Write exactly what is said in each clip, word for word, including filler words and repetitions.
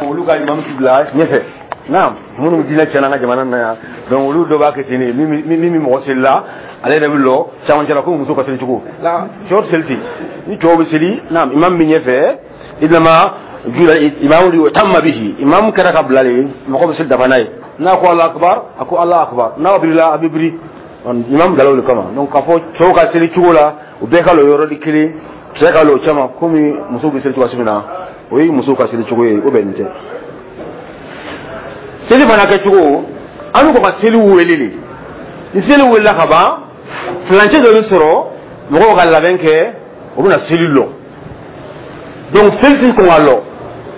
Olu ka imam ti bila ɲɛfɛ. Naam, minnu diinɛ tiɲɛna an ka jamana na yan, donc olu dɔ b'a kɛ ten de, min min min mɔgɔ selila, ale yɛrɛ bɛ lɔ camancɛ la ko muso ka seli cogo la, cɛw tɛ seli ten. Ni cɛw bɛ seli, naam, imam bɛ ɲɛfɛ, idama jula imamu yutamma bihi, imam kɛra ka bila de, mɔgɔ bɛ seli dafa n'a ye. N'a ko Alahu akbar, a ko Alahu akbar, n'a birila, a bɛ biri, imam bilala o de kama. Donc k'a fɔ cɛw ka seli cogo la, u bɛɛ ka lɔ yɔrɔ de kelen, cɛ ka lɔ o cɛma komi musow bɛ seli cogoya min na, o ye musow ka seli cogo ye, o bɛn tɛ. Seli fana kɛcogo, an bɛ kɔn ka seli wele de. Ni seli welela ka ban, furancɛ dɔ bɛ sɔrɔ, mɔgɔw ka labɛn kɛ, u bɛna seli lɔ. Donc seli ti kɔn ka lɔ,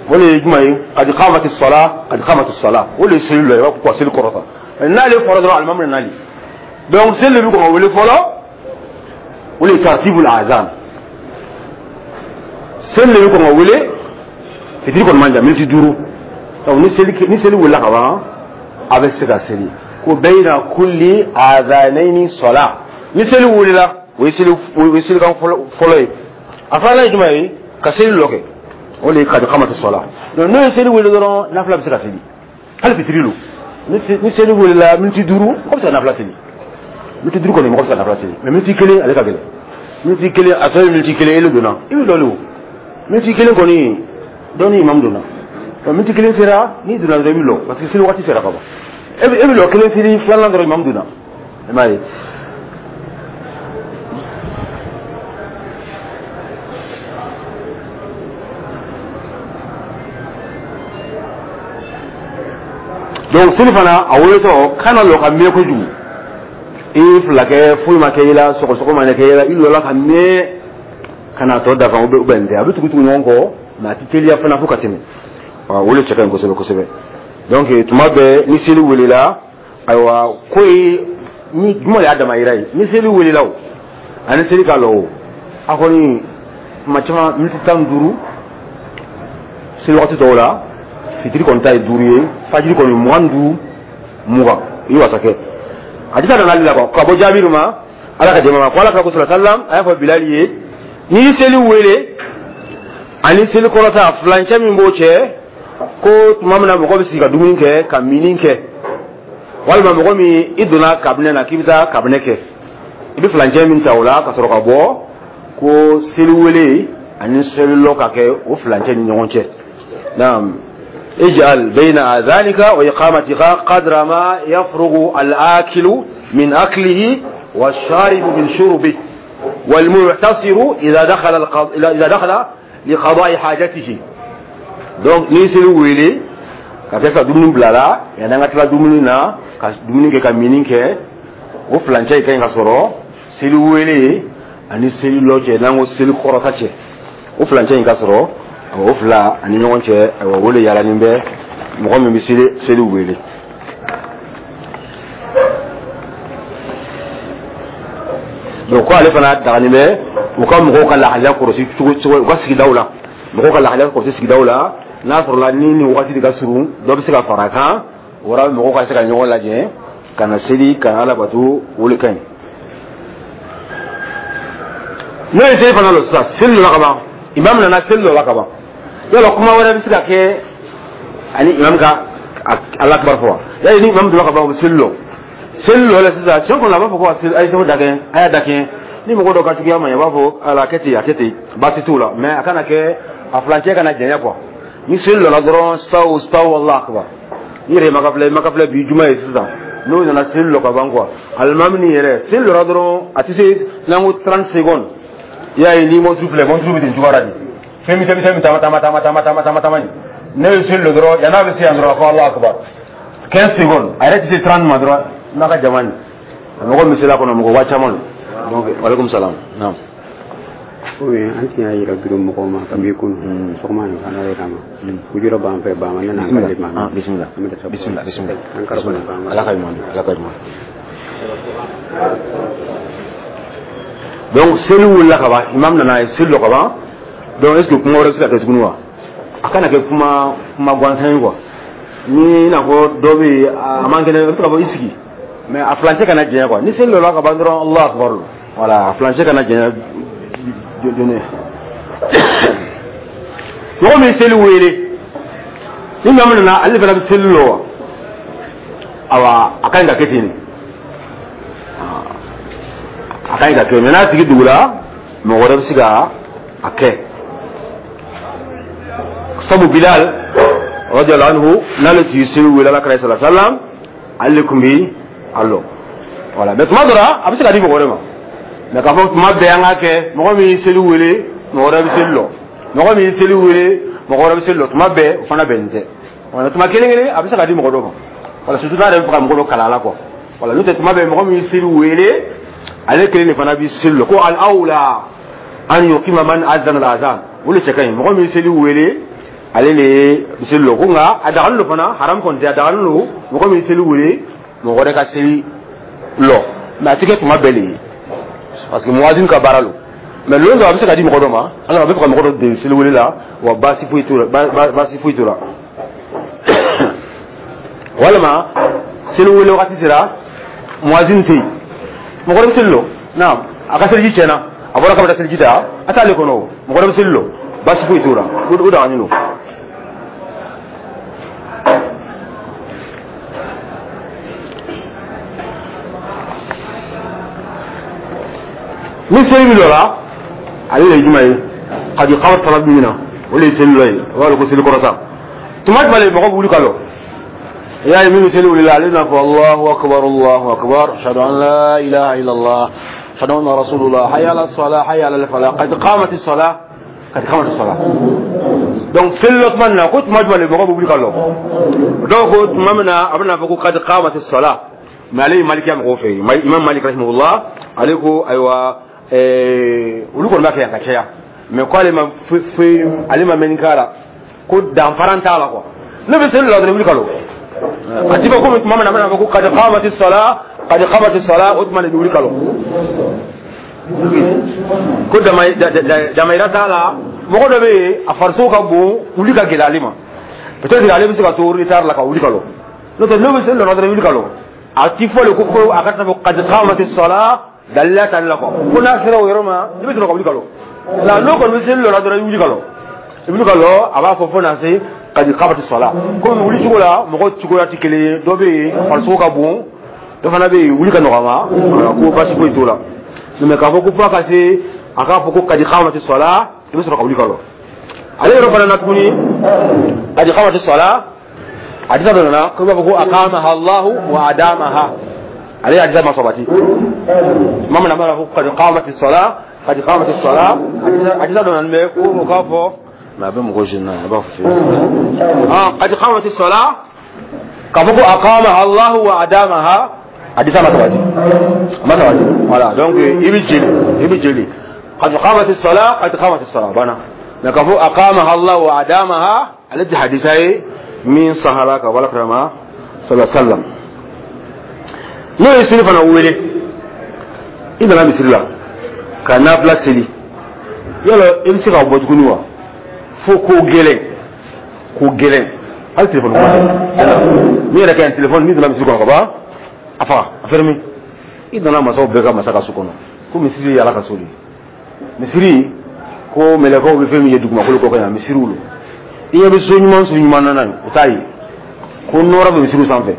o de ye jumɛn ye? Qad qamati sala, qad qamati sala, o de ye seli lɔ ye, i b'a fɔ ko ka seli kɔrɔta. N'ale fɔra dɔrɔn, alimami nana nali. Donc seli de bɛ kɔn ka wele fɔlɔ, o de ye tartibul azan. Seli de bɛ kɔn ka wele, fitiri kɔni man jan, miniti duuru. Donc ni seli ni seli wulila ka ban, a bɛ se ka seli ko bayna kulli adhanaini sala. Ni seli wulila, o ye seli o ye selikan fɔlɔ fɔlɔ ye. A filanan ye jumɛn ye? Ka seli lɔ kɛ, o de ye kad qamati sala. Donc n'o ye seli wuli dɔrɔn, nafila bɛ se ka seli, hali fitiri lo. Ni seli wulila miniti duuru, mɔgɔ bɛ se ka nafila seli. Miniti duuru kɔni, mɔgɔ bɛ se ka nafila seli, mais miniti kelen ale ka gɛlɛn. Miniti kelen, a tɔ ye miniti kelen, ele donna, i bɛ dɔ le o. Miniti kelen kɔni, dɔ ni imam donna. Miniti kelen sera, n'i donna dɔrɔn, i bɛ lɔ, parce que seli waati sera ka ban. E bɛ e bɛ lɔ kelen seli, filanan dɔrɔn, imam donna, i m'a ye. Donc seli fana a weletɔ, kana lɔ ka mɛn kojugu. I ye fila kɛ, foyi ma kɛ i la, sɔgɔsɔgɔ ma kɛ i la, i lɔla ka mɛn ka na tɔ dafa, o bɛ bɛn tɛ, a bɛ tugu tugu ɲɔgɔn kɔ, mais a tɛ teliya fana fo ka tɛmɛ. O de cɛ ka ɲi kosɛbɛ kosɛbɛ. Donc tuma bɛɛ ni seli welela, ayiwa, ko ye ni jumɛn y'a dama yira ye, ni seli welela o ani seli ka lɔ o, a kɔni tuma caman miniti tan ni duuru seli waati tɔw la, fitiri kɔni ta ye duuru ye, fajiri kɔni mugan ni duuru, mugan, i ye wasa kɛ. Hadisa nana la ka bɔ Jaabiru ma, Ala ka jɛma ma, ko Ala ka ko sallallahu alaihi wasallam a y'a fɔ Bilali ye, n'i ye seli wele ani seli kɔrɔta, furancɛ min b'o cɛ, ko tuma min na mɔgɔ bɛ sigi ka dumuni kɛ, ka minni kɛ, walima mɔgɔ min i donna kabinɛ na k'i bɛ taa kabinɛ kɛ, i bɛ furancɛ min ta o la ka sɔrɔ ka bɔ, ko seli wele ani seli lɔ ka kɛ o furancɛ ni ɲɔgɔn cɛ. Naam, ij'al bayna adhanika wa iqamatika qadra ma yafrugu al-akilu min aklihi wash-sharibu min shurbihi wal-mu'tasiru idha dakhala idha dakhala liqada'i hajatihi. Donc ni seli wele ka kɛ ka dumuni bila la, yanni an ka tila dumuni na, ka dumuni kɛ, ka minni kɛ, o furancɛ ka ɲi ka sɔrɔ seli wele ani seli lɔ cɛ, n'an ko seli kɔrɔta cɛ, o furancɛ in ka sɔrɔ o fila ani ɲɔgɔn cɛ. Ayiwa, o de yaalani bɛ mɔgɔ min bɛ seli seli wele. Donc ko ale fana dagani bɛ u ka mɔgɔw ka lahalaya kɔlɔsi cogo cogo u ka sigidaw la, mɔgɔw ka lahalaya kɔlɔsi sigidaw la, n'a sɔrɔla ni nin waati de ka surun, dɔ bɛ se ka fara a kan, o la mɔgɔw ka se ka ɲɔgɔn lajɛ ka na seli, ka na Ala bato, o de ka ɲi. N'o ye seli fana lɔ sisan, seli lɔla ka ban, imam nana seli lɔla ka ban, yala kuma wɛrɛ bɛ se ka kɛ ani imam ka Ala akibar fɔ wa? Yali ni imam donna ka ban, o bɛ seli lɔ, seli lɔ la sisan, tiɲɛ kɔni a b'a fɔ ko a ye seli dakɛ, a y'a dakɛ. Ni mɔgɔ dɔ ka juguya ma, i b'a fɔ ala a kɛ ten, a kɛ ten, baasi t'o la, mais a kana kɛ a furancɛ kana janya quoi. Ni seli lɔla dɔrɔn, saw saw Allahu akbar. Ni yɛrɛ ma ka filɛ, ma ka filɛ bi juma ye sisan, n'o nana seli lɔ ka ban quoi, alimami ni yɛrɛ seli lɔla dɔrɔn, a tɛ se n'an ko trente secondes, i y'a ye, ni mɔsu filɛ, mɔsu bɛ ten cogoya la de, fɛn misɛn misɛn taama taama taama taama taama taama taama nin, ne ye seli lɔ dɔrɔn, yan'a bɛ se yan dɔrɔn, a ko Allahu akbar, quinze secondes, a yɛrɛ tɛ se trente ma dɔrɔn, n'a ka jama nin, mɔgɔ min sela kɔnɔ, mɔgɔ waa caman don. Donc waaleykum salaam. Naam. Oui, an tun y'a yira biro mɔgɔw ma kabi kunun sɔgɔma nin fana yɛrɛ ma ujura b'an fɛ ba ma ne n'an ka ma. Bisimila, bisimila, bisimila. An kɔrɔ ba ma. Ala ka ɲuman, Ala ka ɲuman. Donc seli wulila ka ban, imam nana ye seli lɔ ka ban. Donc est ce que kuma wɛrɛ bɛ se ka kɛ tuguni wa? A kana kɛ kuma kuma gansan ye quoi. Ni i n'a fɔ dɔ bɛ yen, a man kɛnɛ, i bɛ se ka fɔ i sigi, mais a furancɛ kana janya quoi. Ni seli lɔla ka ban dɔrɔn, Allahu akbar, voilà, a furancɛ kana janya joona. Mɔgɔ min seli wele, Ni maa min nana, ale fana bɛ seli lɔ wa? Awa, a ka ɲi ka kɛ ten de, a ka ɲi ka kɛ. Mɛ n'a tigi dugula, mɔgɔ wɛrɛ bɛ se ka a kɛ. Sabu Bilal radiyallahu anhu, n'ale tun ye seli wele Ala kira sallallahu alaihi wasallam, ale tun bɛ a lɔ. Voilà. Mais tuma dɔ la, a bɛ se ka di mɔgɔ wɛrɛ ma. Mais k'a fɔ tuma bɛɛ an k'a kɛ, mɔgɔ min ye seli wele, mɔgɔ wɛrɛ bɛ seli lɔ, mɔgɔ min ye seli wele, mɔgɔ wɛrɛ bɛ seli lɔ, tuma bɛɛ o fana bɛnnen tɛ. Voilà, tuma kelen kelen a bɛ se ka di mɔgɔ dɔ ma. Voilà, surtout n'a yɛrɛ bɛ fɛ ka mɔgɔ dɔ kalan a la quoi. Voilà, n'o tɛ, tuma bɛɛ mɔgɔ min ye seli wele, ale kelen de fana bɛ seli lɔ. Ko al awla an yuqima man azana al azan, o de cɛ ka ɲi. Mɔgɔ min ye seli wele, ale de bɛ seli lɔ. Ko nka a dagalen don fana, haram kɔni tɛ, a dagalen don mɔgɔ min ye seli wele, mɔgɔ wɛrɛ ka seli lɔ. Mais a tɛ kɛ tuma bɛɛ de ye, parce que muwazin ka baara don. Mais lon dɔ a bɛ se ka di mɔgɔ dɔ ma, ala a bɛ fɛ ka mɔgɔ dɔ dege seli wele la wa, baasi foyi t'o la, baasi foyi t'o la. Walima seli wele wagati sera, muwazin tɛ yen, mɔgɔ wɛrɛ bɛ seli lɔ. Naam, a ka seliji tiɲɛna, a bɔra k'a bɛ taa seliji ta, a t'ale kɔnɔ o, mɔgɔ wɛrɛ bɛ seli lɔ, baasi foyi t'o la, o dagalen don. Ni seli bɛ lɔ la, ale de ye jumɛn ye? Kadi kawar sala min na, o de ye seli lɔ ye, o b'a dɔn ko seli kɔrɔta. Tuma jumɛn de mɔgɔ bɛ wuli ka lɔ? I y'a ye, min bɛ seli wuli la, ale bɛna fɔ Allahu akbar, Allahu akbar, ashhadu an la ilaha illallah, ashhadu anna rasulullah, hayya ala salah, hayya ala falah, qad qamati salah, qad qamati salah. Donc seli lɔ tuma min na, ko tuma jumɛn de mɔgɔ bɛ wuli ka lɔ? Dɔw ko tuma min na a bɛna fɔ ko qad qamati salah. Mais ale ye malikiya mɔgɔw fɛ yen, Imam Malik rahimahullah, ale ko ayiwa, olu kɔni b'a kɛ yan ka caya, mais ko ale ma foyi, ale ma mɛn k'a la, ko danfara t'a la quoi. Ne bɛ seli la dɔrɔn, wuli ka lɔ. A ti fɔ komi tuma min na a bɛna fɔ ko qad qamati salah, qad qamati salah, o tuma de bɛ wuli ka lɔ. Ko damayira t'a la. Mɔgɔ dɔ bɛ yen, a farisogo ka bon, wuli ka gɛlɛn ale ma, peut-être ale bɛ se ka to retard la ka wuli ka lɔ. N'o tɛ, n'o bɛ seli la dɔrɔn, wuli ka lɔ. A ti fɔ de ko ko a ka taa fɔ qad qamati salah, dalila t'ale la quoi. Ko n'a sera o yɔrɔ ma, i bɛ sɔrɔ ka wuli ka lɔ. Nka n'o kɔni bɛ seli lɔ la dɔrɔn, i wuli ka lɔ, i wuli ka lɔ, a b'a fɔ fo na se qad qamati salah. Komi wuli cogo la, mɔgɔ cogoya tɛ kelen ye, dɔ bɛ yen farisogo ka bon, dɔ fana bɛ yen wuli ka nɔgɔ a ma, ko baasi foyi t'o la. Mais k'a fɔ ko f'a ka se a k'a fɔ ko qad qamati salah, i bɛ sɔrɔ ka wuli ka lɔ. Ale yɔrɔ fana na tuguni, qad qamati salah, hadisa dɔ nana ko i b'a fɔ ko aqamaha Allahu wa adamaha, ale hadisa ma sabati. Tuma min na a b'a fɔ ko qad qamati salah, qad qamati salah, hadisa dɔ nana bɛ ko o k'a fɔ, mais a bɛ mɔgɔ jeune na, a b'a fɔ ah qad qamati salah, k'a fɔ ko aqamaha Allahu wa adamaha, hadisa ma sabati, a ma sabati. Voilà, donc i bɛ jeli, i bɛ jeli qad qamati salah, qad qamati salah banna. Mais k'a fɔ aqamaha Allahu wa adamaha, ale tɛ hadisa ye min sahara ka wala karama sallallahu alaihi wasallam. N'o ye seli fana wele, i nana misiri la ka nafila seli, yala i bɛ se ka bɔ tuguni wa? Fo ko gɛlɛn, ko gɛlɛn, hali telefɔni kuma tɛ. N'i yɛrɛ ka ɲi telefɔni, n'i donna misiri kɔnɔ ka ban, a faga, a fermé. I donna masaw bɛɛ ka masa ka so kɔnɔ, ko misiri ye Ala ka so de ye. Misiri ko mɛlɛkɛw bɛ fɛn min ye dugumakolo kɔ kan yan, misiriw don. I ɲɛ bɛ so ɲuman, so ɲuman nana ye, o t'a ye ko nɔrɔ bɛ misiriw sanfɛ.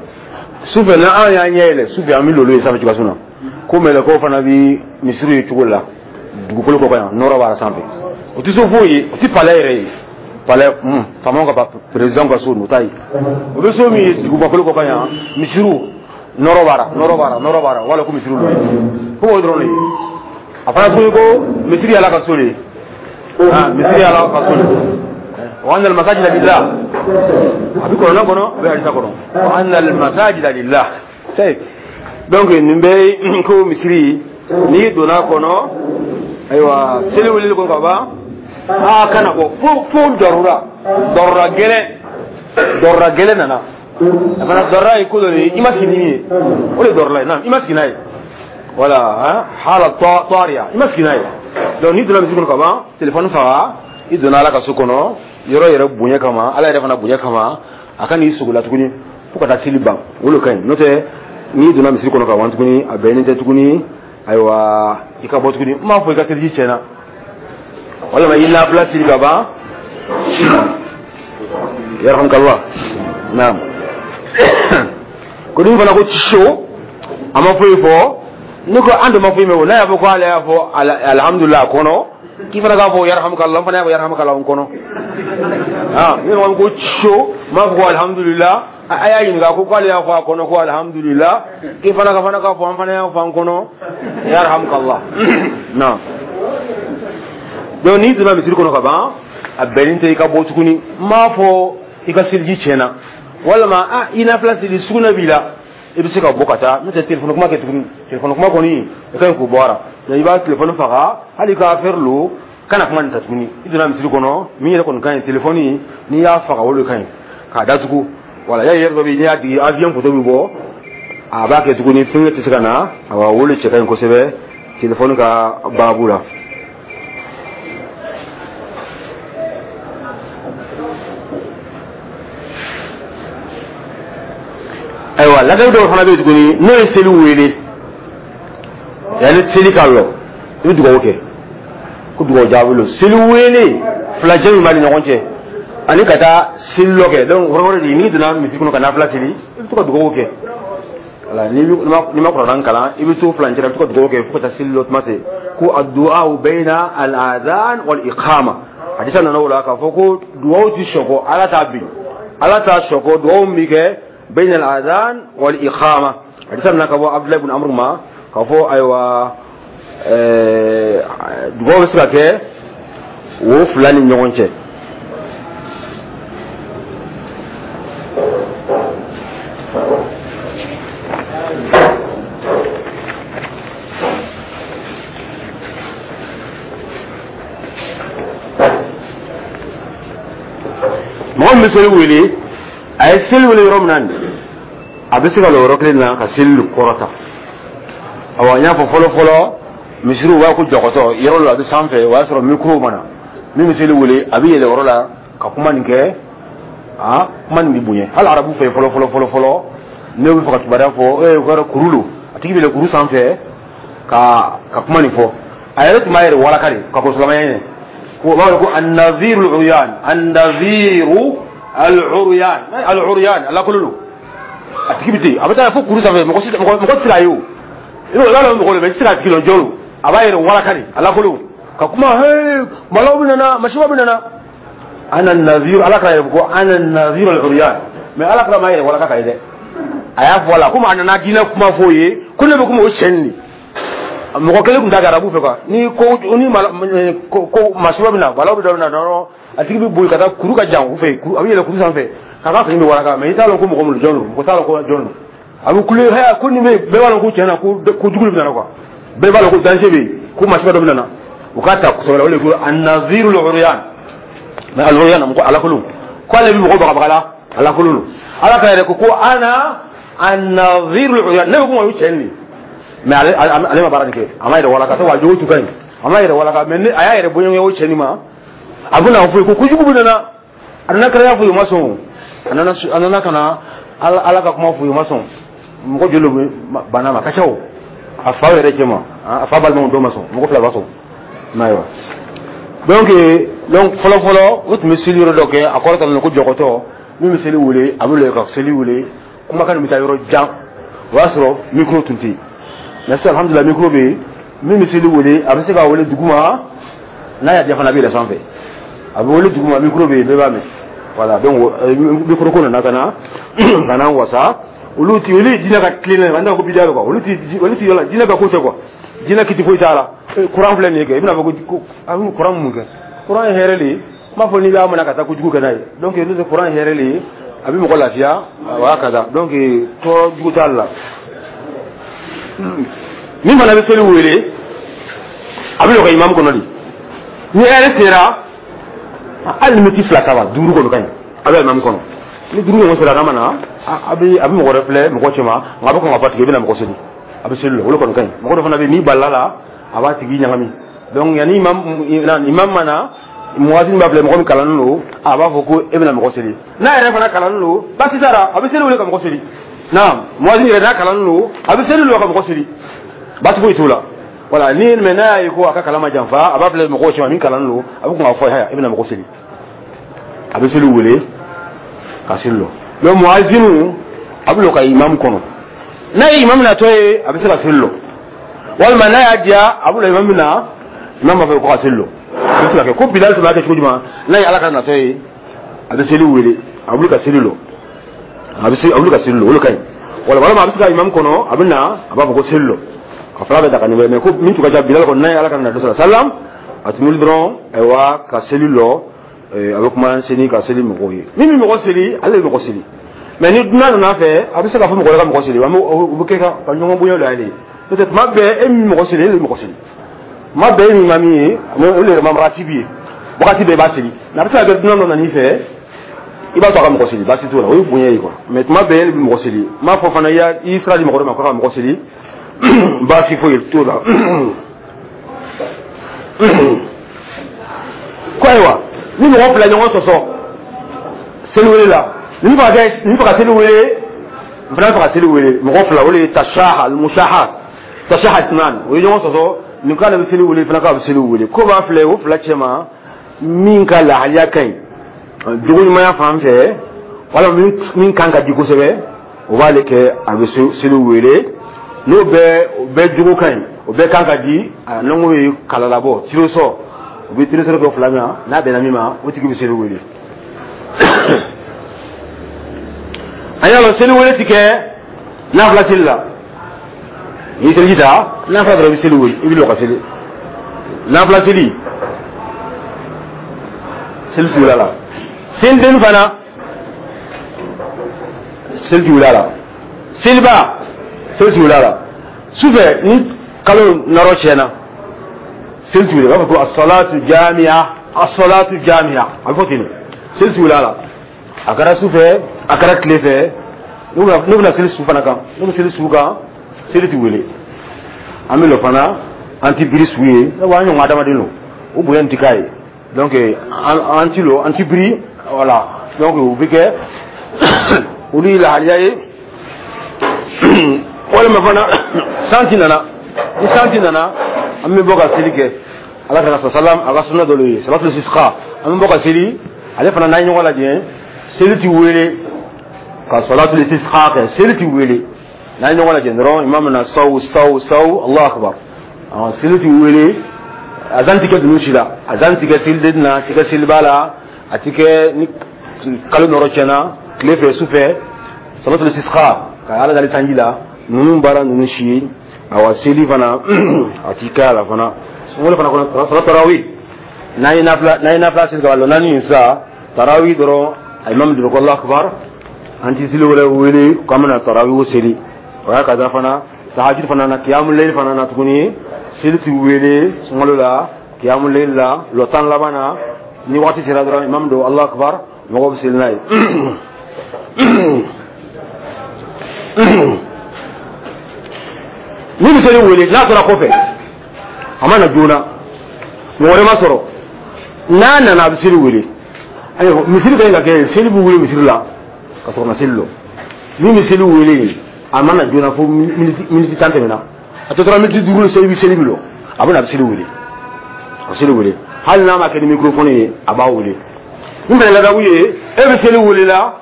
Sufɛ n'an y'an ɲɛ yɛlɛ sufɛ, an bɛ lolo ye sanfɛ cogoya na, ko mɛlɛkɛw fana bɛ misiriw ye cogo la dugukolo kɔ kan yan, nɔrɔ b'a sanfɛ. O tɛ so foyi ye, o tɛ palais yɛrɛ ye, palais faamaw ka président ka so, o t'a ye. O bɛ so min ye dugumakolo kɔ kan yan, misiriw nɔrɔ b'a la, nɔrɔ b'a la, nɔrɔ b'a la, wala ko misiriw don, ko o dɔrɔn de ye. A fana tuguni ko misiri ye Ala ka so de ye, misiri ye Ala ka so de ye. Wa anna al-masajida lillah, a bɛ kɔnɔna kɔnɔ, a bɛ hadisa kɔnɔ, wa anna al-masajida lillah. Donc nin bɛɛ ko misiri, n'i donna kɔnɔ, ayiwa, seli wulili ko ka ban, aa kana bɔ fo fo darura, darura gɛlɛn, darura gɛlɛn nana. A fana darura ye ko dɔ de ye, i ma sigi ni min ye, o de ye darura ye. Naam, i ma sigi n'a ye, voilà, hala tariya, i ma sigi n'a ye. Donc n'i donna misiri kɔnɔ ka ban, téléphone faga, i donna Ala ka so kɔnɔ, yɔrɔ yɛrɛ bonya kama, Ala yɛrɛ fana bonya kama, a ka n'i sogo la tuguni fo ka taa seli ban, o de ka ɲi. N'o tɛ, n'i donna misiri kɔnɔ ka ban tuguni, a bɛnnen tɛ tuguni, ayiwa, i ka bɔ tuguni. N m'a fɔ i ka seliji tiɲɛna, walima i nafila seli ka ban. Yarhamukallah. Naam. Ko dun fana ko so a ma foyi fɔ ne ko an dun ma foyi mɛn o n'a y'a fɔ ko ale y'a fɔ alhamdulillah kɔnɔ k'i fana k'a fɔ yarhamukallah n fana y'a fɔ yarhamukallah n kɔnɔ ah ne ko ko so n b'a fɔ ko alhamdulillah a y'a ɲininka ko k'ale y'a fɔ a kɔnɔ ko alhamdulillah k'i fana ka fana k'a fɔ an fana y'a fɔ an kɔnɔ yarhamukallah. Naam. Donc n'i donna misiri kɔnɔ ka ban a bɛnnen tɛ i ka bɔ tuguni n m'a fɔ i ka seliji tiɲɛna walima ah i nafila seli sugunɛ b'i la i bɛ se ka bɔ ka taa n'o tɛ telefɔni kuma kɛ tuguni telefɔni kuma kɔni i ka ɲi k'o bɔ a la i b'a telefɔni faga hali ka affaire lo kana kuma nin ta tuguni i donna misiri kɔnɔ min yɛrɛ kɔni ka ɲi telefɔni n'i y'a faga o de ka ɲi k'a datugu wala y'a yɛrɛ dɔ bɛ yen n'i y'a digi avion photo bɛ bɔ a b'a kɛ tuguni fɛn tɛ se ka na awa o de cɛ ka ɲi kosɛbɛ telefɔni ka baabu la. Ayiwa ladamu dɔw fana bɛ yen tuguni n'o ye seli wele yanni seli ka lɔ i bɛ dugawu kɛ ko dugawu jaabi lo seli wele filajɛ min b'a ni ɲɔgɔn cɛ ani ka taa seli lɔ kɛ donc wɔrɔ de n'i donna misiri kɔnɔ ka nafila seli i bɛ to ka dugawu kɛ wala ni n'i ma kuranɛ kalan i bɛ to furancɛ la i bɛ to ka dugawu kɛ fo ka taa seli lɔ tuma se ko addu'a bayna al-adhan wal iqama hadisa nana o la k'a fɔ ko dugawu ti sɔkɔ ala t'a bin ala t'a sɔkɔ dugawu min kɛ بين الأذان والإقامة حديثنا كابو عبد الله بن عمرو ما كافو أيوا dugawu bɛ se ka kɛ wo fila ni ɲɔgɔn cɛ mɔgɔ min bɛ seli wele a ye seli wele yɔrɔ min na nin a bɛ se ka lɔ yɔrɔ kelen na ka seli kɔrɔta awa n y'a fɔ fɔlɔ fɔlɔ misiriw b'a ko jɔkɔtɔ yɔrɔ la a bɛ sanfɛ o y'a sɔrɔ mikoro ma na min bɛ seli wele a bɛ yɛlɛ yɔrɔ la ka kuma nin kɛ aa kuma nin bɛ bonya hali arabu fɛ fɔlɔ fɔlɔ fɔlɔ fɔlɔ ne bɛ fɛ ka kibaruya fɔ ee o kɛra kuru lo a tigi bɛ yɛlɛ kuru sanfɛ ka ka kuma nin fɔ a yɛrɛ tun b'a yɛrɛ walaka de ka kɔn silamɛya ɲɛ ko o b'a wele ko an-naziru al-uryan an-naziru al-uryan al-uryan alakololo a tigi bɛ ten a bɛ taa fo kuru sanfɛ mɔgɔ si mɔgɔ tɛ se k'a ye o i b'a dɔn mɔgɔ de bɛ i tɛ se k'a tigi dɔn jɔn don a b'a yɛrɛ walaka de alakolo ka kuma hee malaw bɛ nana masiba bɛ nana ana naziru ala k'a yɛrɛ ko ana naziru al-uryan mais ala k'a ma yɛrɛ walaka ka ye dɛ a y'a fɔ a la komi a nana diinɛ kuma f'o ye ko ne bɛ kuma o cɛ nin de mɔgɔ kelen tun t'a kɛ arabu fɛ quoi ni ko ni ko ko masiba bɛ na balaw bɛ dɔ bɛ na dɔrɔn a tigi bɛ boli ka taa kuru ka jan u fɛ a bɛ yɛlɛ kuru sanfɛ k'a ka fini bɛ walaka mais i t'a dɔn ko mɔgɔ min jɔn don mɔgɔ t'a dɔn ko jɔn don a bɛ kule haya ko nin bɛ bɛɛ b'a dɔn ko tiɲɛ na ko ko jugu de bɛ na quoi bɛɛ b'a dɔn ko danger bɛ yen ko masiba dɔ bɛ na u k'a ta kosɛbɛ o de ko an-naziru al-uryan mais al-uryan mɔgɔ alakolon ko ale bɛ mɔgɔ bagabaga la alakolon don ala ka yɛrɛ ko ko ana an-naziru al-uryan ne bɛ kuma o cɛ nin de mais ale ale ma baara nin kɛ a ma yɛrɛ walaka sabu a jogo tun ka ɲi a ma yɛrɛ walaka mais ne a y'a yɛrɛ bonya o cɛ nin ma a bɛna fɔ ko kojugu bɛ nana a nana kɛnɛya fɔ u ma sɔn a nana a nana ka na ala ala ka kuma fɔ u ma sɔn mɔgɔ joli bɛ banna ma ka ca o a fa yɛrɛ cɛ ma a fa balimaw dɔw ma sɔn mɔgɔ fila b'a sɔn ayiwa donc donc fɔlɔ fɔlɔ o tun bɛ seli yɔrɔ dɔ kɛ a kɔrɔ talen ko jɔkɔtɔ min bɛ seli wele a bɛ lɔ ka seli wele kumakan nin bɛ taa yɔrɔ jan o y'a sɔrɔ micro tun tɛ yen mais sisan alhamdulilah micro bɛ yen min bɛ seli wele a bɛ se ka wele duguma n'a y'a diya fana a bɛ yɛlɛ sanfɛ a bɛ wele duguma micro bɛ yen bɛɛ b'a mɛn voilà donc micro ko nana ka na ka na wasa olu ti olu ye jinɛ ka tilen na an t'a ko bidiya quoi olu ti olu ti yɔrɔ jinɛ ka ko tɛ quoi jinɛ kiti foyi t'a la courant filɛ nin ye kɛ i bɛna fɔ ko a bɛ courant mun kɛ courant ye hɛrɛ de ye n b'a fɔ n'i b'a minɛ ka taa kojugu kɛ n'a ye donc n'o tɛ courant ye hɛrɛ de ye a bɛ mɔgɔ lafiya a b'a ka taa donc tɔɔrɔ jugu t'a la min fana bɛ seli wele a bɛ lɔ ka imam kɔnɔ de ni hɛrɛ sera hali ni miti fila saba duuru kɔni ka ɲi a bɛ imam kɔnɔ ni duuru ɲɔgɔn sera n'a ma na a bɛ a bɛ mɔgɔ wɛrɛ filɛ mɔgɔ cɛma nka a bɛ kɔn ka fɔ a tigi i bɛna mɔgɔ seli a bɛ seli la olu kɔni ka ɲi mɔgɔ dɔ fana bɛ yen n'i balila la a b'a tigi ɲagami donc yanni imam imam ma na muwazin b'a filɛ mɔgɔ min kalannen don a b'a fɔ ko e bɛna mɔgɔ seli n'a yɛrɛ fana kalannen don baasi t'a la a bɛ seli wele ka mɔgɔ seli naam muwazin yɛrɛ n'a kalannen don a bɛ seli wele ka mɔgɔ seli baasi foyi t'o la voilà ni mais n'a y'a ye ko a ka kalan ma janfa a b'a filɛ mɔgɔw cɛma min kalannen don a bɛ kɔn k'a fɔ haya e bɛna mɔgɔ seli a bɛ seli wele Ka seli lɔ. Donc muazinu a bɛ lɔ ka imam kɔnɔ, n'a ye imam natɔ ye, a bɛ se ka seli lɔ, walima n'a y'a diya, a bɛ lɔ imam na, imam b'a fɔ ko ka seli lɔ. A bɛ se ka kɛ ko Bilal tun b'a kɛ cogo jumɛn? N'a ye Ala ka natɔ ye, a bɛ seli wele, a bɛ wuli ka seli lɔ, a bɛ se a bɛ wuli ka seli lɔ, o de ka ɲi. Wala walima a bɛ se ka imam kɔnɔ, a bɛ na, a b'a fɔ ko seli lɔ, a fila bɛ daga nin bɛɛ. Mais ko min tun ka ca, Bilal kɔni, n'a ye Ala ka natɔ sɔrɔ salam, a tun wuli dɔrɔn, ayiwa, ka seli lɔ, a bɛ kuma seli ka seli mɔgɔw ye. Min bɛ mɔgɔ seli, ale bɛ mɔgɔ seli. Mais ni dunan nana fɛ, a bɛ se k'a fɔ mɔgɔ wɛrɛ ka mɔgɔ seli, o bɛ kɛ ka ɲɔgɔn bonya la ye. N'o tɛ, tuma bɛɛ e min mɔgɔ seli, e de bɛ mɔgɔ seli. Tuma bɛɛ e min ma min ye, o de yɛrɛ ma wagati b'i ye, wagati bɛɛ i b'a seli. Mais a bɛ se ka kɛ dunan dɔ nan'i fɛ, i b'a to a ka mɔgɔ seli, baasi t'o la, o ye bonya ye quoi. Mais tuma bɛɛ e bɛ mɔgɔ seli, n m'a fɔ fana i y'a i sira di mɔgɔ dɔ ma k'a ka mɔgɔ seli, baasi foyi t'o la. Ko ayiwa, ni mɔgɔ fila ɲɔgɔn sɔsɔ seliwele la, ni fɛ ka kɛ, ni fɛ ka seli wele, n fana fɛ ka seli wele, mɔgɔ fila, o de ye tashaha almusaha tashaha itnan, o ye ɲɔgɔn sɔsɔ, nin k'ale bɛ seli wele, fana k'a bɛ seli wele. Ko b'a filɛ o fila cɛ ma, min ka lahaliya ka ɲi jogo ɲumanya fan fɛ, walima min min kan ka di kosɛbɛ, o b'ale kɛ, a bɛ seli wele. N'o bɛɛ o bɛɛ jogo ka ɲi, o bɛɛ kan ka di, n'an ko ye kalalabɔ tirosɔ, o bɛ tirosɔ kɛ fila min na, n'a bɛnna min ma, o tigi bɛ seli wele. An y'a lɔn seli wele ti kɛ nafila seli la. N'i seliji ta nafila dɔrɔn, i bɛ seli wele, i bɛ lɔ ka seli nafila seli, seli ti wele a la. Seliden fana, seli ti wele a la. Seliba, seli ti wele a la. Sufɛ ni kalo nɔrɔ tiɲɛna, seli ti wele, u b'a fɔ ko as-salatu jami'a, as-salatu jami'a, a bɛ fɔ ten de, seli ti wele a la. A kɛra sufɛ, a kɛra tile fɛ, n'u bɛna seli su fana kan, n'u bɛ seli su kan, seli ti wele. An bɛ lɔ fana, an ti biri su ye, sabu an ɲɔgɔn adamaden don, o bonya in ti k'a ye. Donc an an ti lɔ, an ti biri, voilà. Donc o bɛ kɛ olu ye lahaliya ye. Walima fana san ti nana, ni san ti nana, an bɛ bɔ ka seli kɛ. Ala ka salam a ka sunna dɔ ye salatul istisqa, an bɛ bɔ ka seli. Ale fana n'an ye ɲɔgɔn lajɛ, seli ti wele ka salatul istisqa kɛ, seli ti wele. N'an ye ɲɔgɔn lajɛ dɔrɔn, imam na saw saw saw, Allahu akbar, seli ti wele. Azan ti kɛ ninnu si la, azan ti kɛ seliden na, a ti kɛ seliba la, a ti kɛ ni kalo nɔrɔ tiɲɛna tile fɛ, su fɛ, salatul istisqa ka Ala dali sanji la, ninnu baara ninnu si ye. Awa seli fana a ti kɛ a la fana. Sunkalo fana kɔnɔ, salat tarawih, n'an ye nafila n'an ye nafila seli ka ban naani in sisan, tarawih dɔrɔn, imam dɔrɔn ko Allahu akbar, an ti seli wɛrɛ wele k'an bɛna tarawih seli. O y'a kaza fana tahajjud fana na, qiyamul layl fana na tuguni, seli ti wele sunkalo la, qiyamul layl la, lɔ tan laban na, ni waati sera dɔrɔn, imam don Allahu akbar, mɔgɔw bɛ seli n'a ye. Ni bɛ seli wele n'a tora kɔfɛ, a ma na joona, mɔgɔ wɛrɛ ma sɔrɔ, n'a nana a bɛ seli wele. Ayiwa, misiri ka ɲi ka kɛ, seli bɛ wele misiri la ka sɔrɔ ka seli lɔ. Min bɛ seli wele, a ma na joona fo miniti tan tɛmɛna, a tɔ tora miniti duuru, seli bɛ seli bɛ lɔ, a bɛ na, a bɛ seli wele, a bɛ seli wele. Hali n'a ma kɛ ni microphone ye, a b'a wele. Min fana ladabu ye, e bɛ seli wele la,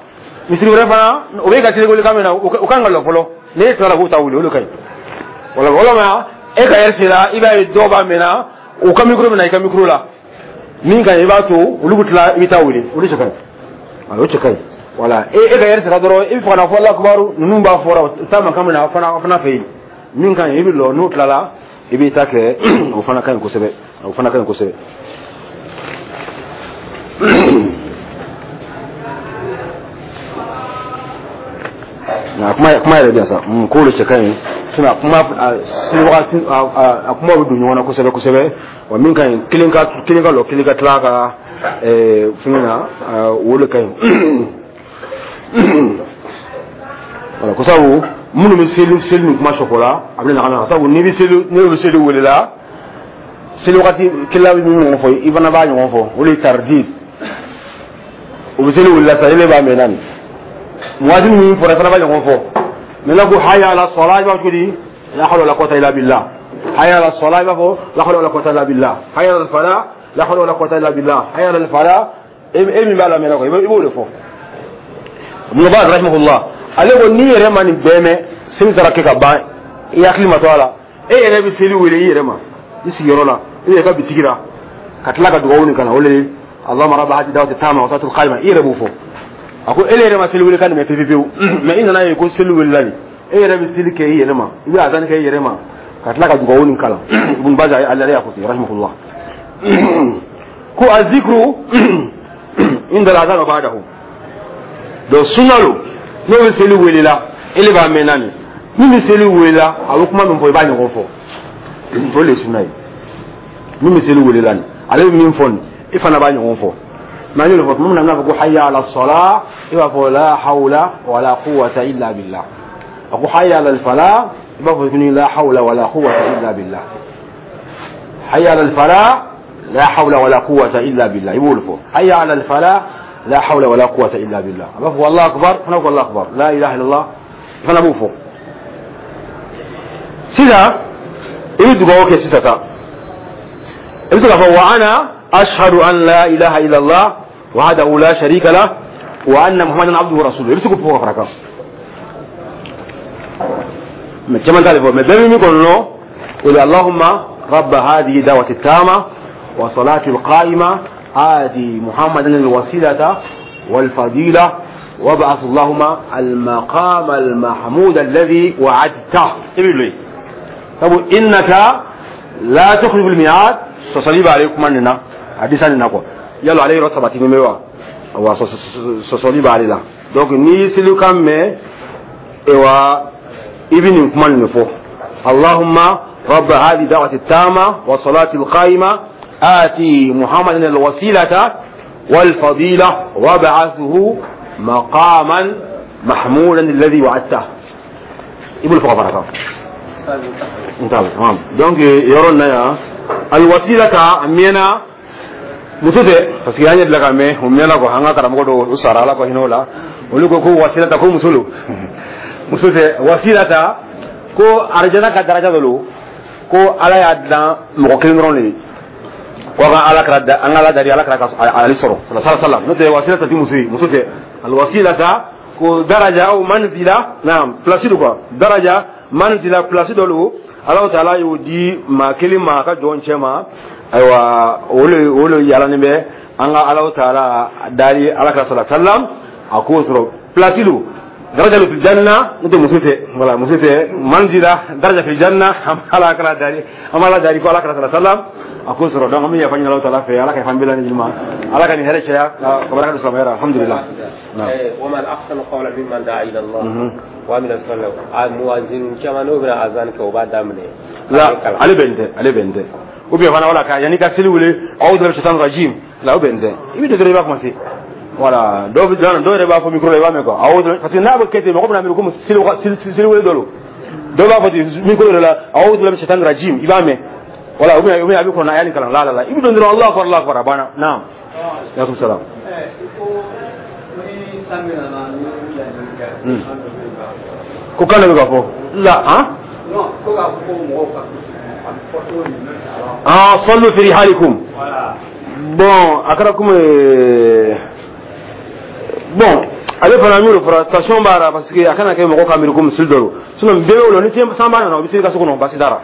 misiri wɛrɛ fana o bɛ ka seli wele kan min na, o kan ka lɔ fɔlɔ, n'e tilala k'o ta wele, o de ka ɲi. Wala walima e ka yɛrɛ sera, i b'a ye dɔw b'a mɛn o ka micro bɛ na i ka micro la, min ka ɲi i b'a to olu bɛ tila, i bɛ taa wele, olu cɛ ka ɲi, o cɛ ka ɲi. Wala e e ka yɛrɛ sera dɔrɔn, i bɛ fɛ ka na fɔ Allahu akbar, ninnu b'a fɔra u t'a mankan min na, fana fana fɛ yen, min ka ɲi i bɛ lɔ, n'o tilala i b'i ta kɛ, o fana ka ɲi kosɛbɛ, o fana ka ɲi kosɛbɛ. Nka kuma kuma yɛrɛ bɛ yan sa, k'o de cɛ ka ɲi, sinon a kuma sini wagati a kuma bɛ don ɲɔgɔn na kosɛbɛ kosɛbɛ. Wa min ka ɲi, kelen ka kelen ka lɔ, kelen ka tila ka fɛngɛ na, o de ka ɲi. Wala ko sabu minnu bɛ seli seli ni kuma sɔkɔ la, a bɛ ɲagami na, sabu n'i bɛ seli, n'e bɛ seli wele la, seli wagati kelen bɛ min ɲɔgɔn fɔ, i fana b'a ɲɔgɔn fɔ, o de ye tardi. O bɛ seli wele la sisan, e b'a mɛn naani waati min fɔra, i fana b'a ɲɔgɔn fɔ. Maintenant ko hayya ala sala, i b'a fɔ cogo di? La hawla wala quwwata illa billah. Hayya ala sala, i b'a fɔ la hawla wala quwwata illa billah. Hayya ala falah, la hawla wala quwwata illa billah. Hayya ala falah, e min b'a lamɛn quoi, i b'o de fɔ. Ibn Baz rahimahullah, ale ko n'i yɛrɛ ma nin bɛɛ mɛn, seli taara kɛ ka ban, i hakili ma to a la, e yɛrɛ bɛ seli wele i yɛrɛ ma i sigiyɔrɔ la, i yɛrɛ ka bitigi la, ka tila ka dugawu nin kalan. O de ye Allahumma rabba hadi dawati tama wa salatul qaima. I yɛrɛ b'o fɔ. A ko e yɛrɛ ma seli wele ka nin mɛn pewu pewu, mais i nana ye ko seli welela nin, e yɛrɛ bɛ seli kɛ i yɛrɛ ma, i bɛ azan kɛ i yɛrɛ ma, ka tila ka dugawu nin kalan. Ibn Baz ale y'a fɔ ten rahimahullah ko azikru inda al-azan wa ba'dahu. Donc sunna lo, n'o bɛ seli wele la, ele b'a mɛn naani, min bɛ seli wele la, a bɛ kuma min fɔ, i b'a ɲɔgɔn fɔ. O de ye sunna ye. Min bɛ seli wele la nin, ale bɛ min fɔ nin, i fana b'a ɲɔgɔn fɔ. Mais an y'o de fɔ tuma min na, n'a fɔ ko hayya ala salah, i b'a fɔ la hawla wala quwwata illa billah. A ko hayya ala falah, i b'a fɔ tuguni la hawla wala quwwata illa billah. Hayya ala falah, la hawla wala quwwata illa billah, i b'o de fɔ. Hayya ala falah, la hawla wala quwwata illa billah. A b'a fɔ Allahu akbar, fana ko Allahu akbar, la ilaha illallah, i fana b'o fɔ. Sisan i bɛ dugawu kɛ sisan sa, i bɛ se k'a fɔ wa ana ashhadu an la ilaha illallah wahdahu la sharika lah wa anna muhammadan abduhu wa rasuluhu. I bɛ se k'o fɔ ka fara kan, mais caman t'ale fɔ. Mais bɛɛ bɛ min kɔni lɔn, o de: Allahumma rabba hadhihi da'wati tama wa salati alqa'ima آتي محمدا الوسيلة والفضيلة وابعث اللهم المقام المحمود الذي وعدته. طب إنك لا تخلف الميعاد. sɔsɔli b'ale kuma nin na, hadisa nin na quoi. Yalo ale yɔrɔ sabati bɛ wa? Wa sɔsɔli b'ale la. Donc n'i selikan mɛn, ewa, i bɛ nin kuma nin fɔ: Allahumma rabba hadhihi da'wati tama wa salati alqa'ima آتي محمدا الوسيلة والفضيلة وابعثه مقاما محمودا الذي وعدته. ibn fɔ ka fara kan tamam. Donc yɔrɔ nin na yan, alwasilata a mɛnna, muso tɛ, parce que an ye bila ka mɛn, o mɛnna quoi. An ka karamɔgɔ dɔw, u sara, Ala ka hinɛ o la, olu ko ko wasilata ko muso lo. Muso tɛ. Wasilata ko arijana ka daraja dɔ lo, ko Ala y'a dilan mɔgɔ kelen dɔrɔn de ye, ko an ka Ala kɛra an ka Ala dari, Ala kɛra ka ale sɔrɔ sallallahu alaihi wasallam. N'o tɛ, wasilata ti muso ye, muso tɛ. Alwasilata ko daraja aw manzila, naam, place do quoi. Daraja, manzila, place dɔ lo, Ala taala y'o di maa kelen ma a ka jɔn cɛ ma. Ayiwa, o le o le yalanin bɛ an ka Ala taala dari Ala kɛra sallallahu alaihi wasallam, a k'o sɔrɔ. Place do, daraja fil janna. N'o tɛ, muso tɛ. Voilà, muso tɛ. Manzila, daraja fil janna, an Ala kɛra dari, an b'Ala dari ko Ala kɛra sallallahu alaihi wasallam a k'o sɔrɔ. Donc an bɛ yafa ɲini Ala taala fɛ, Ala ka yafa an bɛɛ lajɛlen ma, Ala ka nin hɛrɛ caya ka baraka don silamɛya la. Alhamdulillah. ومن أحسن قولا ممن دعا إلى الله وعمل صالحا. Muwazin caman n'o bɛna azan kɛ, o b'a daminɛ. La, ale bɛn tɛ, ale bɛn tɛ. Ou bien fana, wala ka yanni ka seli wele, a'udhu billahi shaitanir rajim, la, o bɛn tɛ. I bɛ dɔrɔn i b'a commencer. Voilà, dɔw bɛ dɔw yɛrɛ b'a fɔ micro la, i b'a mɛn quoi, a'udhu, parce que n'a bɛ kɛ ten, mɔgɔ bɛna miiri komi seli seli wele dɔ don. Dɔw b'a fɔ ten micro yɛrɛ la, a'udhu billahi shaitanir rajim, i b'a mɛn. Voilà, ou bien ou bien a bɛ kɔnɔ a y'a nin kalan la la la, i bɛ don dɔrɔn, Allahu akbar, Allahu akbar, a banna. Naam, alaikum salam. Ni san bɛ nana ni Hmm. Ko kan de bɛ ka fɔ la han? Non, ko k'a fɔ ko mɔgɔw ka a bɛ fɔ cogo min na. Ah, sallu fi rihalikum. Voilà. Bon, a kɛra komi, bon, ale fana y'o de fɔra station b'a la, parce que a kana kɛ mɔgɔ ka miiri ko misiri dɔ don. Sinon bɛɛ bɛ o la, ni sanba nana, o bɛ seli ka so kɔnɔ, basi t'a la.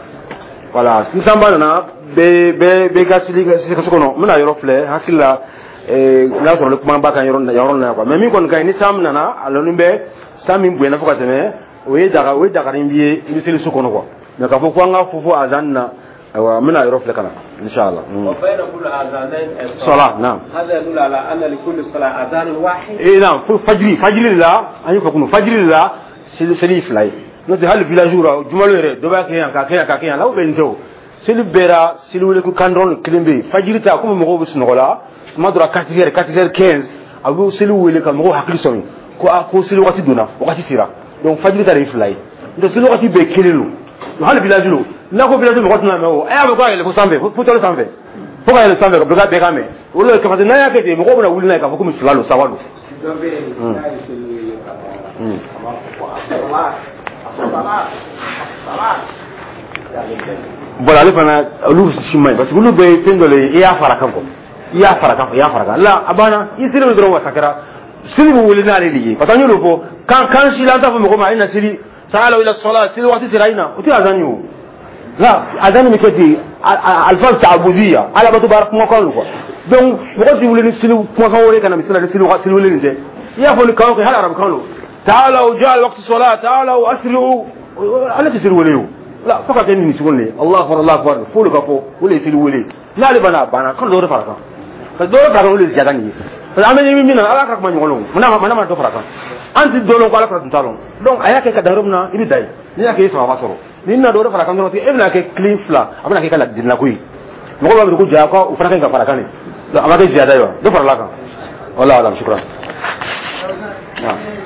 Voilà, ni sanba nana, bɛɛ bɛɛ bɛɛ ka seli ka so kɔnɔ. N bɛna yɔrɔ filɛ hakili la, n'a sɔrɔ ni kuma b'a kan yɔrɔ yɔrɔ na quoi. Mais min kɔni ka ɲi, ni san nana, a lɔnni bɛ san min bonyana fo ka tɛmɛ, o ye daga, o ye dagarin bi ye, i bɛ seli so kɔnɔ quoi. Mais k'a fɔ ko an ka fɔ fo azan na, ayiwa, n bɛna yɔrɔ filɛ ka na inshallah. وبين كل أذانين. صلاة، نعم. هذا يدل على أن لكل صلاة أذان واحد. Eh naam, fo fajiri fajiri de la an ye fɔ kunu, fajiri de la seli seli fila ye. N'o tɛ, hali village la, jumalo yɛrɛ, dɔ b'a kɛ yan, k'a kɛ yan, k'a kɛ yan la, o bɛ nin tɛ. O seli bɛɛ la, seli wele ko kan dɔrɔn kelen bɛ yen. Fajiri ta, komi mɔgɔw bɛ sunɔgɔ la, tuma dɔ la quatre heures, quatre heures quinze, a bɛ seli wele ka mɔgɔw hakili sɔmi ko a ko seli waati donna, wagati sera. Donc fajiri ta de ye fila ye, n'o tɛ seli waati bɛɛ kelen don. Hali village lo, n'a ko village mɔgɔ tɛna mɛn o, a y'a mɛn ko a yɛlɛ fo sanfɛ, fo tɔli sanfɛ, fo ka yɛlɛ sanfɛ ka bɛɛ ka mɛn. O de parce que n'a y'a kɛ ten, mɔgɔw bɛna wuli n'a ye k'a fɔ komi fila don, saba don. Dɔ bɛ yen, n'a ye seli wele ka ban, a b'a fɔ ko asala asala asala. Voilà, ale fana, olu si man ɲi, parce que olu bɛɛ ye fɛn dɔ le ye, i y'a fara kan quoi, i y'a fara kan, i y'a fara kan la, a banna, i selen dɔrɔn, wasa kɛra. Seli bɛ wele n'ale de ye, parce que an y'o de fɔ, kan kan si la, an t'a fɔ mɔgɔ ma a ye na seli, تعالوا إلى الصلاة, seli waati sera, i na. O tɛ azan ye. O la, azan bɛ kɛ ten, ألفاظ تعبدية, ala bato baara kumakan don quoi. Donc mɔgɔ ti wele ni seli kumakan wɛrɛ ka na misali la ni seli seli wele nin tɛ. I y'a fɔ ni kan kɛ, hali arabukan don, تعالوا جاء وقت الصلاة تعالوا أسرعوا, ale tɛ seli wele o la, fo ka kɛ nin sugu nin ye, الله أكبر الله أكبر, f'olu ka fɔ, o de ye seli wele. N'ale banna, a banna, kalo dɔ wɛrɛ fara kan, parce que dɔ wɛrɛ fara kan, o de ye ziyada nin ye, parce que an bɛ ɲɛ min na, ala ka kuma ɲɔgɔn lɔn, munna mana ma dɔ fara kan, an ti dɔ lɔn ko ala fara tun t'a lɔn. Donc a y'a kɛ ka dan yɔrɔ min na, i bɛ dan yen. N'i y'a kɛ, i ye sababa sɔrɔ. N'i nana dɔ wɛrɛ fara kan dɔrɔn, e bɛna kɛ kelen fila, a bɛna kɛ ka ladilina ko ye. Mɔgɔw b'a miiri ko ja ko o fana ka ɲi ka fara kan de. Donc a ma kɛ ziyada ye wa, dɔ farala kan. والله أعلم, شكرا. نعم.